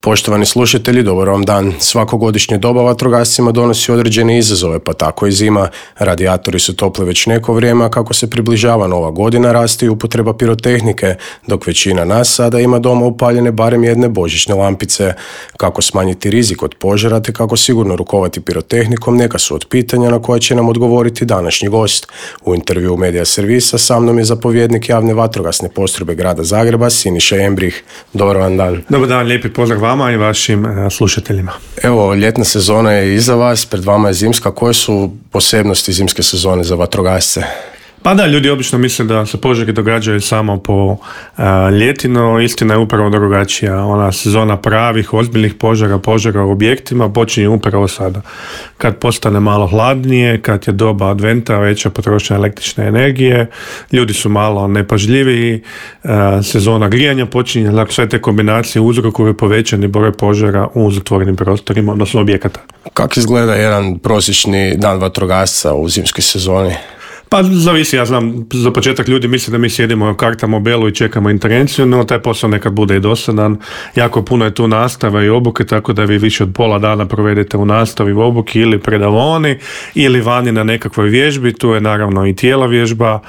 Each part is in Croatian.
Poštovani slušatelji, dobar vam dan. Svakogodišnja doba vatrogascima donosi određene izazove, pa tako i zima. Radijatori su topli već neko vrijeme, a kako se približava nova godina, raste i upotreba pirotehnike, dok većina nas sada ima doma upaljene barem jedne božićne lampice. Kako smanjiti rizik od požara te kako sigurno rukovati pirotehnikom, neka su od pitanja na koja će nam odgovoriti današnji gost. U intervju Medija servisa sa mnom je zapovjednik javne vatrogasne postrojbe grada Zagreba, Siniša Embrih. Dobar vam dan. Dobar dan, lijepi pozdrav vama i vašim slušateljima. Evo, ljetna sezona je iza vas, pred vama je zimska. Koje su posebnosti zimske sezone za vatrogasce? Pa da, ljudi obično misle da se požari događaju samo po ljeti, no istina je upravo drugačija. Ona sezona pravih, ozbiljnih požara u objektima počinje upravo sada. Kad postane malo hladnije, kad je doba adventa, veća potrošnja električne energije, ljudi su malo nepažljiviji, sezona grijanja počinje, dakle sve te kombinacije uzrokuju povećani broj požara u zatvorenim prostorima, odnosno objekata. Kako izgleda jedan prosječni dan vatrogasca u zimskoj sezoni? Pa zavisi, ja znam, za početak ljudi misle da mi sjedimo u karta mobelu i čekamo intervenciju, no taj posao nekad bude i dosadan. Jako puno je tu nastava i obuke, tako da vi više od pola dana provedete u nastavi, u obuki ili predavoni ili vani na nekakvoj vježbi. Tu je naravno i tijela vježba,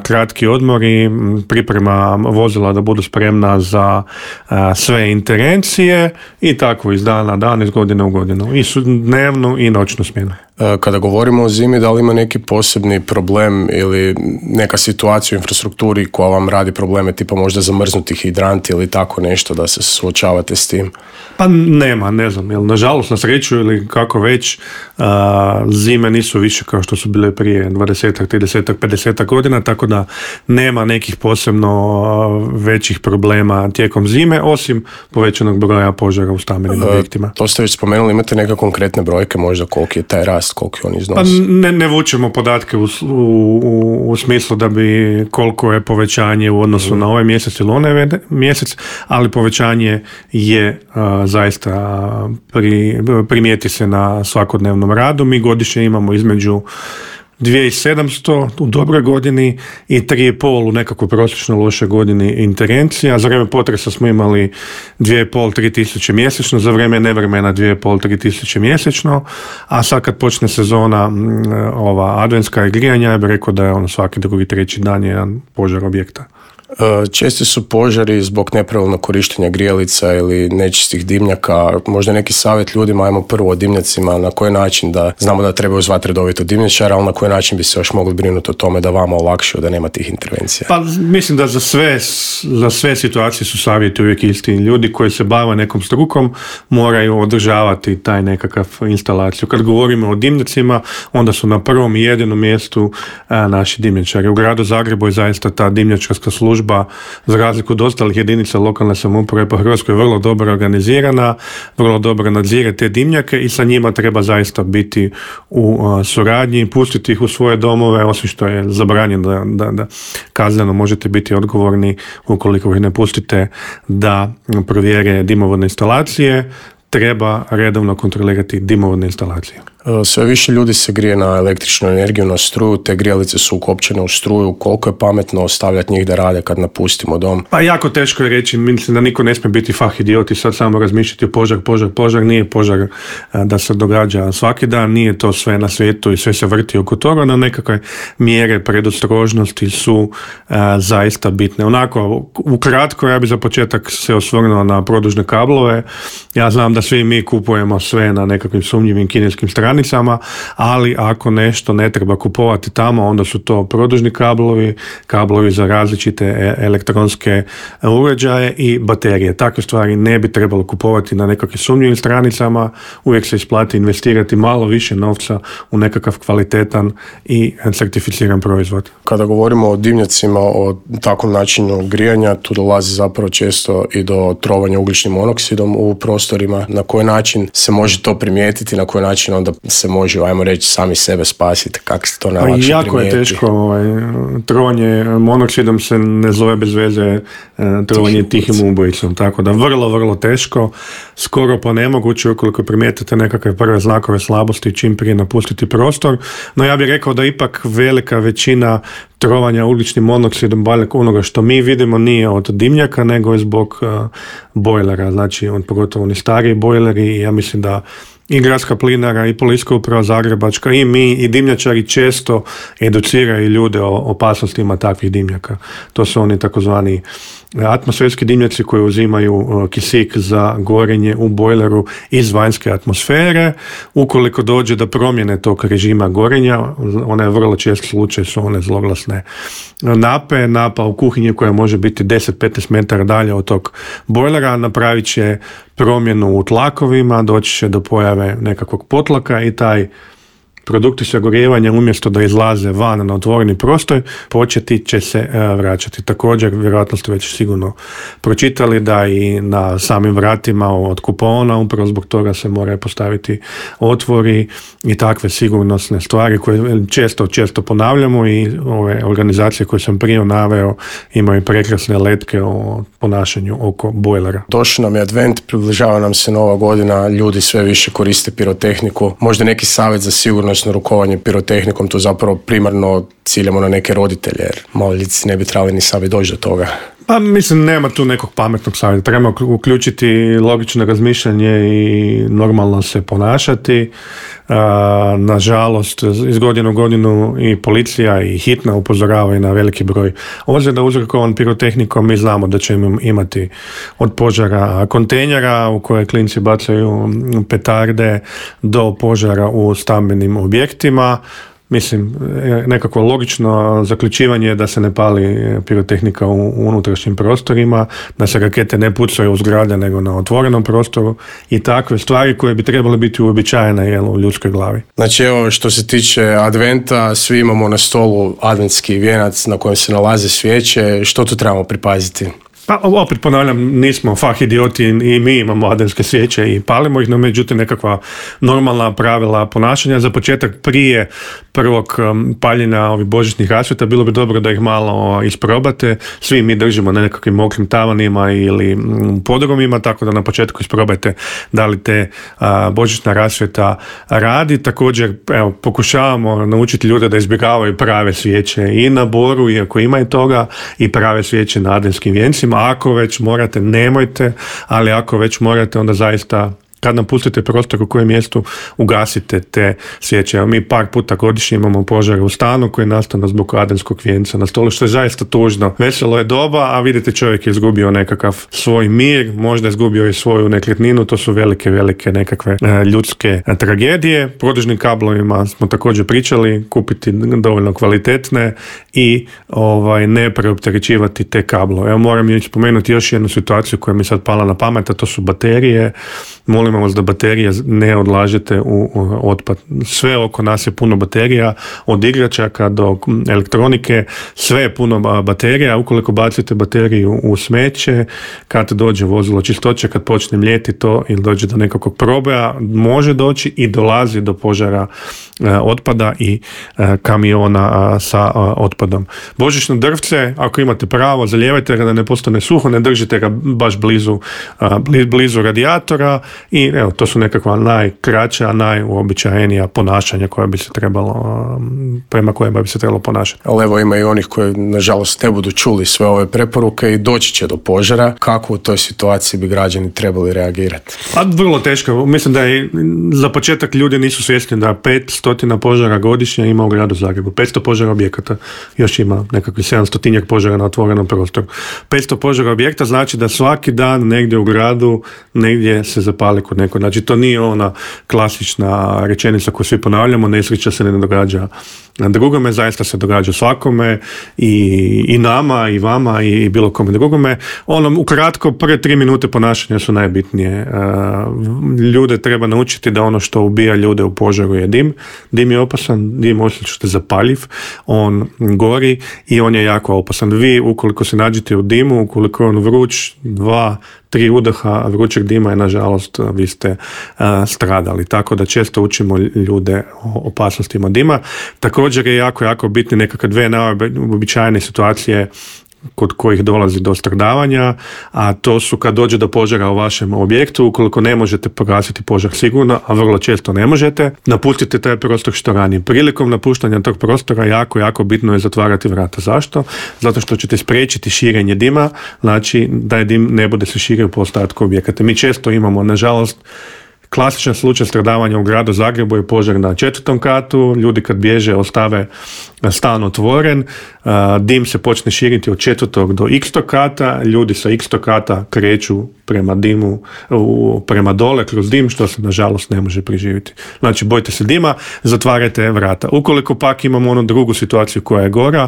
kratki odmori, priprema vozila da budu spremna za sve intervencije i tako iz dana dan, iz godine u godinu. I dnevnu i noćnu smjenu. Kada govorimo o zimi, da li ima neki posebni problem ili neka situacija u infrastrukturi koja vam radi probleme, tipa možda zamrznuti hidranti ili tako nešto, da se suočavate s tim? Pa nema, ne znam, jer nažalost na sreću ili kako već, zime nisu više kao što su bile prije 20, 30, 50 godina, tako da nema nekih posebno većih problema tijekom zime, osim povećanog broja požara u stambenim objektima. To ste već spomenuli, imate neke konkretne brojke možda koliki je taj rast, koliki on iznosi? Pa ne vučemo podatke u smislu da bi koliko je povećanje u odnosu na ovaj mjesec ili onaj mjesec, ali povećanje je zaista primijeti se na svakodnevnom radu. Mi godišnje imamo između 2700 u dobroj godini i 3,5 u nekako prosječno lošoj godini intervencija. Za vrijeme potresa smo imali 2,5-3 tisuće mjesečno, za vrijeme nevremena 2,5-3 tisuće mjesečno, a sad kad počne sezona ova adventska i grijanja, ja bih rekao da je ono svaki drugi, treći dan je jedan požar objekta. Česti su požari zbog nepravilnog korištenja grijalica ili nečistih dimnjaka. Možda neki savjet ljudima, ajmo prvo o dimnjacima, na koji način, da znamo da treba zvati redovito dimnjačara, ali na koji način bi se još mogli brinuti o tome da vama olakšaju, da nema tih intervencija? Pa mislim da za sve situacije su savjeti uvijek isti. Ljudi koji se bave nekom strukom moraju održavati taj nekakav instalaciju. Kad govorimo o dimnjacima, onda su na prvom i jedinom mjestu naši dimnjačari. U gradu Zagrebu je zaista ta dimnjačarska služba, za razliku od ostalih jedinica lokalne samouprave po Hrvatskoj, vrlo dobro organizirana, vrlo dobro nadzire te dimnjake i sa njima treba zaista biti u suradnji, pustiti ih u svoje domove, osim što je zabranjeno da kazneno možete biti odgovorni ukoliko ih ne pustite da provjere dimovodne instalacije. Treba redovno kontrolirati dimovodne instalacije. Sve više ljudi se grije na električnu energiju, na struju, te grijalice su ukopčene u struju. Koliko je pametno ostavljati njih da rade kad napustimo dom? Pa jako teško je reći, mislim da niko ne smije biti idiot i sad samo razmišljati o požar, nije požar da se događa svaki dan, nije to sve na svijetu i sve se vrti oko toga, na nekakve mjere predostrožnosti su zaista bitne. Onako, ukratko, ja bih za početak se osvrnuo na produžne kablove. Ja znam da svi mi kupujemo sve na nekakvim sumnjivim kineskim stranicama, ali ako nešto ne treba kupovati tamo, onda su to produžni kablovi za različite elektronske uređaje i baterije. Takve stvari ne bi trebalo kupovati na nekakvim sumnjivim stranicama, uvijek se isplati investirati malo više novca u nekakav kvalitetan i certificiran proizvod. Kada govorimo o dimnjacima, o takvom načinu grijanja, tu dolazi zapravo često i do trovanja ugljičnim monoksidom u prostorima. Na koji način se može to primijetiti, na koji način onda se može, ajmo reći, sami sebe spasiti, kako se to najlakše jako primijeti? Je teško, trovanje monoksidom se ne zove bez veze trovanje tihim ubojicom, tako da vrlo teško, skoro pa nemoguće ukoliko primijetite nekakve prve znakove slabosti čim prije napustiti prostor, no ja bih rekao da ipak velika većina trovanja ugljičnim monoksidom, onoga što mi vidimo nije od dimnjaka, nego je zbog bojlera, znači pogotovo oni stariji bojleri, i ja mislim da i Gradska plinara, i Policijska uprava Zagrebačka, i mi, i dimnjačari često educiraju ljude o opasnostima takvih dimnjaka. To su oni takozvani atmosferski dimnjaci koji uzimaju kisik za gorenje u bojleru iz vanjske atmosfere. Ukoliko dođe do promjene tog režima gorenja, ona je vrlo čest slučaj, su one zloglasne napa u kuhinji koja može biti 10-15 metara dalje od tog bojlera, napravit će promjenu u tlakovima, doći će do pojave nekakvog potlaka i taj produkti sagorijevanja umjesto da izlaze van na otvoreni prostor, početi će se vraćati. Također, vjerojatno ste već sigurno pročitali da i na samim vratima od kupona upravo zbog toga se moraju postaviti otvori i takve sigurnosne stvari koje često ponavljamo, i ove organizacije koje sam prije naveo imaju prekrasne letke o ponašanju oko bojlera. Došao nam je advent, približava nam se nova godina, ljudi sve više koriste pirotehniku. Možda neki savjet za sigurnosno rukovanje pirotehnikom, to zapravo primarno ciljamo na neke roditelje, jer maloljetnici ne bi trebali ni sami doći do toga. Pa mislim, nema tu nekog pametnog savjeta. Treba uključiti logično razmišljanje i normalno se ponašati. Nažalost, iz godine u godinu i policija i hitna upozoravaju na veliki broj ozljeda uzrokovan pirotehnikom. Mi znamo da ćemo imati od požara kontejnera u koje klinci bacaju petarde do požara u stambenim objektima. Mislim, nekako logično zaključivanje je da se ne pali pirotehnika u unutrašnjim prostorima, da se rakete ne pucaju u zgrade nego na otvorenom prostoru i takve stvari koje bi trebale biti uobičajene u ljudskoj glavi. Znači evo, što se tiče adventa, svi imamo na stolu adventski vijenac na kojem se nalaze svijeće. Što tu trebamo pripaziti? Pa opet ponavljam, nismo fah idioti i mi imamo adventske svijeće i palimo ih, no međutim nekakva normalna pravila ponašanja. Za početak, prije prvog paljenja ovih božićnih rasvjeta bilo bi dobro da ih malo isprobate. Svi mi držimo na nekakvim mokrim tavanima ili podrumima, tako da na početku isprobajte da li te božićna rasvjeta radi. Također, evo, pokušavamo naučiti ljude da izbjegavaju prave svijeće i na boru, iako ima i toga, i prave svijeće na adventskim vijencima. Ako već morate, nemojte, ali ako već morate, onda zaista kad napustite prostor u kojem mjestu, ugasite te svijeće. Mi par puta godišnje imamo požare u stanu koji nastanu zbog adventskog vijenca na stolu, što je zaista tužno. Veselo je doba, a vidite, čovjek je izgubio nekakav svoj mir, možda je izgubio i svoju nekretninu. To su velike nekakve ljudske tragedije. Produžnim kablovima smo također pričali, kupiti dovoljno kvalitetne i ne preopterećivati te kablove. Evo, moram spomenuti još jednu situaciju koja mi sad pala na pamet, a to su baterije. Molimo vas da baterije ne odlažete u otpad. Sve oko nas je puno baterija, od igračaka do elektronike, sve je puno baterija. Ukoliko bacite bateriju u smeće, kad dođe vozilo čistoće, kad počne mljeti to ili dođe do nekakvog proboja, može doći i dolazi do požara otpada i kamiona sa otpadom. Božićno drvce, ako imate pravo, zalijevajte ga da ne postane suho, ne držite ga baš blizu radijatora. I evo, to su nekakva najkraća, najuobičajenija ponašanja koja bi se trebalo, prema kojima bi se trebalo ponašati. Ali evo, ima i onih koji nažalost ne budu čuli sve ove preporuke i doći će do požara. Kako u toj situaciji bi građani trebali reagirati? Pa vrlo teško. Mislim da je za početak ljudi nisu svjesni da 500 požara godišnje ima u gradu Zagrebu. 500 požara objekata. Još ima nekakvih 700 požara na otvorenom prostoru. 500 požara objekta znači da svaki dan negdje u gradu negdje se zapali kod neko. Znači, to nije ona klasična rečenica koju svi ponavljamo, nesreća se ne događa drugome, zaista se događa svakome, i nama, i vama, i bilo kome drugome. Ukratko, prve 3 minute ponašanja su najbitnije. Ljude treba naučiti da ono što ubija ljude u požaru je dim. Dim je opasan, dim osjećate zapaljiv, on gori i on je jako opasan. Vi, ukoliko se nađete u dimu, ukoliko je on vruć, 2-3 udaha vrućeg dima je, nažalost, vi ste stradali. Tako da često učimo ljude o opasnostima dima. Također je jako bitni nekakve 2 najobičajene situacije kod kojih dolazi do stradavanja, a to su kad dođe do požara u vašem objektu, ukoliko ne možete pogasiti požar sigurno, a vrlo često ne možete, napustite taj prostor što ranije. Prilikom napuštanja tog prostora jako bitno je zatvarati vrata. Zašto? Zato što ćete spriječiti širenje dima, znači da je dim ne bude se širio po ostatku objekata. Mi često imamo, nažalost, klasičan slučaj stradavanja u gradu Zagrebu je požar na 4. katu, ljudi kad bježe ostave stan otvoren, dim se počne širiti od 4. do x kata, ljudi sa x kata kreću prema dimu, prema dole kroz dim, što se nažalost ne može preživjeti. Znači, bojte se dima, zatvarajte vrata. Ukoliko pak imamo onu drugu situaciju koja je gora,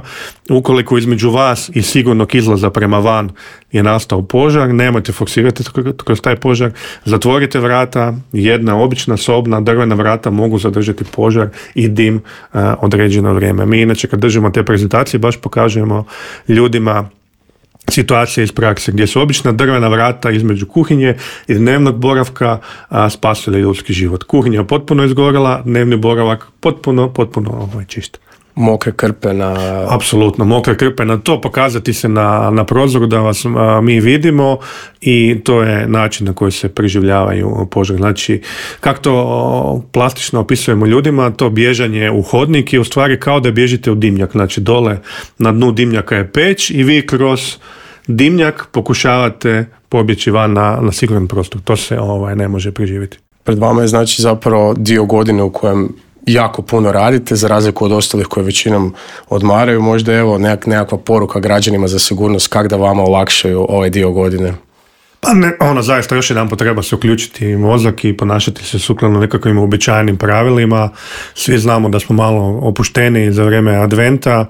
ukoliko između vas i sigurnog izlaza prema van je nastao požar, nemojte forsirati kroz taj požar, zatvorite vrata, jedna obična sobna drvena vrata mogu zadržati požar i dim određeno vrijeme. Mi inače kad držimo te prezentacije baš pokažemo ljudima situacije iz prakse gdje su obična drvena vrata između kuhinje i dnevnog boravka spasili ljudski život. Kuhinja je potpuno izgorela, dnevni boravak potpuno čist. Mokre krpe na... Apsolutno, mokre krpe na to, pokazati se na prozoru da vas mi vidimo i to je način na koji se preživljavaju požar. Znači, kako to plastično opisujemo ljudima, to bježanje u hodnik je u stvari kao da bježite u dimnjak. Znači, dole na dnu dimnjaka je peć i vi kroz dimnjak pokušavate pobjeći van na siguran prostor. To se ne može preživjeti. Pred vama je znači zapravo dio godine u kojem jako puno radite, za razliku od ostalih koji većinom odmaraju. Možda evo nekakva poruka građanima za sigurnost, kako da vama olakšaju ovaj dio godine? Pa ne, zaista još jedan treba se uključiti mozak i ponašati se sukladno nekakvim uobičajenim pravilima. Svi znamo da smo malo opušteni za vrijeme adventa.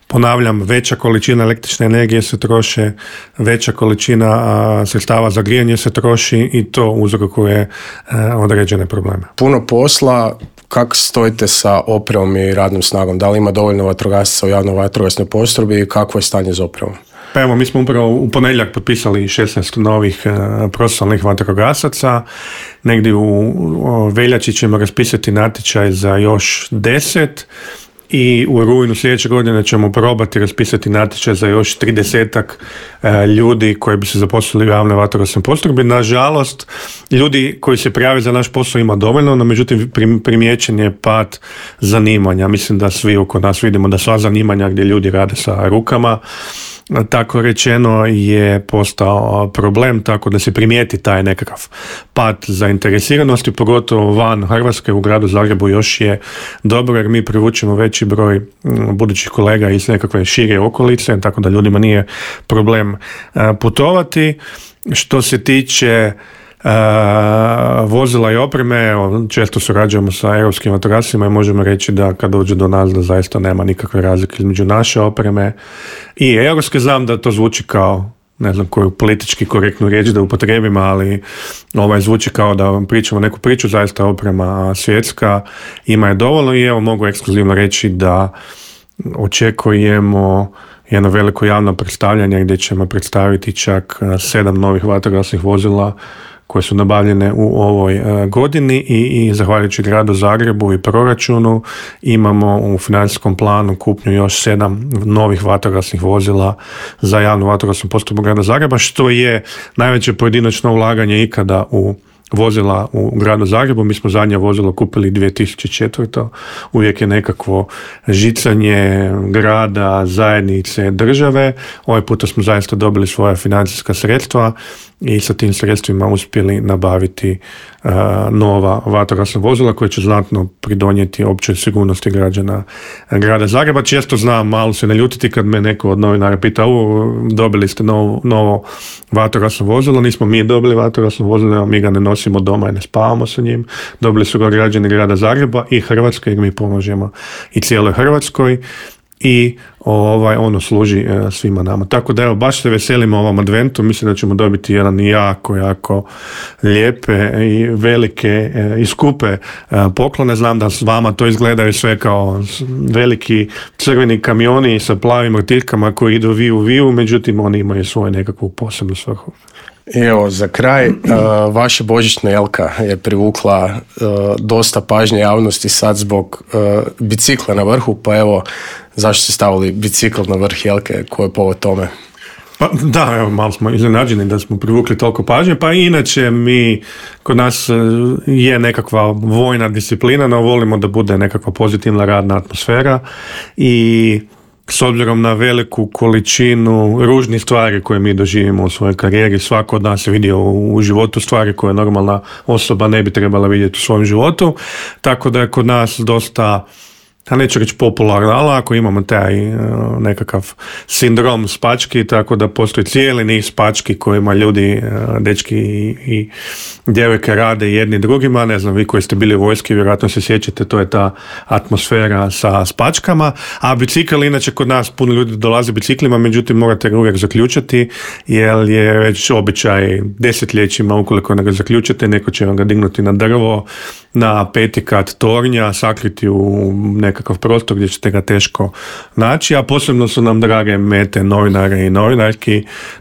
Ponavljam, veća količina električne energije se troše, veća količina sredstava za grijanje se troši i to uzrokuje određene probleme. Puno posla. Kako stojite sa opremom i radnom snagom? Da li ima dovoljno vatrogasaca u javnoj vatrogasnoj postrojbi i kakvo je stanje s opremom? Pa evo, mi smo upravo u ponedjeljak potpisali 16 novih profesionalnih vatrogasaca. Negdje u veljači ćemo raspisati natječaj za još 10 i u rujnu sljedeće godine ćemo probati raspisati natječaj za još 30-ak ljudi koji bi se zaposlili u javnoj vatrogasnoj postrojbi. Nažalost, ljudi koji se prijave za naš posao ima dovoljno, no međutim primijećen je pad zanimanja. Mislim da svi oko nas vidimo da sva zanimanja gdje ljudi rade sa rukama, tako rečeno, je postao problem, tako da se primijeti taj nekakav pad zainteresiranosti, pogotovo van Hrvatske. U gradu Zagrebu još je dobro jer mi privučemo veći broj budućih kolega iz nekakve šire okolice, tako da ljudima nije problem putovati. Što se tiče vozila i opreme, često surađujemo sa europskim vatrogascima i možemo reći da kad dođe do nas da zaista nema nikakve razlike između naše opreme i europske. Znam da to zvuči kao, ne znam koju politički korektnu riječ da upotrijebim, ali zvuči kao da pričamo neku priču, zaista oprema svjetska ima je dovoljno i evo mogu ekskluzivno reći da očekujemo jedno veliko javno predstavljanje gdje ćemo predstaviti čak 7 novih vatrogasnih vozila koje su nabavljene u ovoj godini i zahvaljujući gradu Zagrebu i proračunu imamo u financijskom planu kupnju još 7 novih vatrogasnih vozila za javnu vatrogasnu postrojbu grada Zagreba, što je najveće pojedinačno ulaganje ikada u vozila u gradu Zagrebu. Mi smo zadnje vozilo kupili 2004. Uvijek je nekakvo žicanje grada, zajednice, države. Ovaj puta smo zaista dobili svoja financijska sredstva i sa tim sredstvima uspjeli nabaviti nova vatrogasna vozila koja će znatno pridonijeti općoj sigurnosti građana grada Zagreba. Često znam malo se naljutiti kad me neko od novinara pita dobili ste novo vatrogasno vozilo. Nismo mi dobili vatrogasno vozilo, mi ga ne nosimo doma i ne spavamo sa njim. Dobili su ga građani grada Zagreba i Hrvatske jer mi pomožemo i cijeloj Hrvatskoj i ono služi svima nama. Tako da evo, baš se veselimo ovom adventu, mislim da ćemo dobiti jedan jako lijepe i velike i skupe poklone. Znam da s vama to izgledaju sve kao veliki crveni kamioni sa plavim rtiljkama koji idu viu, međutim oni imaju svoju nekakvu posebnu svrhu. I evo, za kraj, vaša božićna jelka je privukla dosta pažnje javnosti sad zbog bicikla na vrhu, pa evo, zašto ste stavili bicikl na vrh jelke, ko je povod tome? Pa da, evo, malo smo iznenađeni da smo privukli toliko pažnje, pa inače kod nas je nekakva vojna disciplina, no volimo da bude nekakva pozitivna radna atmosfera i s obzirom na veliku količinu ružnih stvari koje mi doživimo u svojoj karijeri, svako od nas je vidio u životu stvari koje normalna osoba ne bi trebala vidjeti u svom životu, tako da je kod nas dosta, a neću reći popularno, ali ako imamo taj nekakav sindrom spački, tako da postoji cijeli niz spački kojima ljudi, dečki i djevojke rade jedni drugima, ne znam, vi koji ste bili u vojski, vjerojatno se sjećate, to je ta atmosfera sa spačkama, a bicikl, inače kod nas puno ljudi dolaze biciklima, međutim morate ga uvijek zaključati, jer je već običaj desetljećima, ukoliko ne ga zaključate, neko će vam ga dignuti na drvo, na 5. kat tornja, sakriti u nekakav prostor gdje ćete ga teško naći, a posebno su nam drage mete novinare i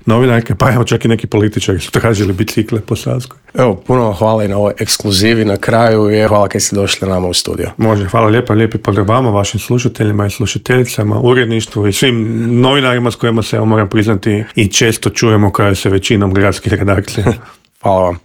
novinarke, pa evo čak i neki političari su tražili bicikle po Savskoj. Evo, puno hvala i na ovoj ekskluzivi na kraju i hvala kad ste došli nama u studio. Može, hvala lijepa, lijepi pozdrav vama, vašim slušateljima i slušateljicama, uredništvu i svim novinarima s kojima se, moram priznati, i često čujemo kao se većinom gradskih redakcija. Hvala vam.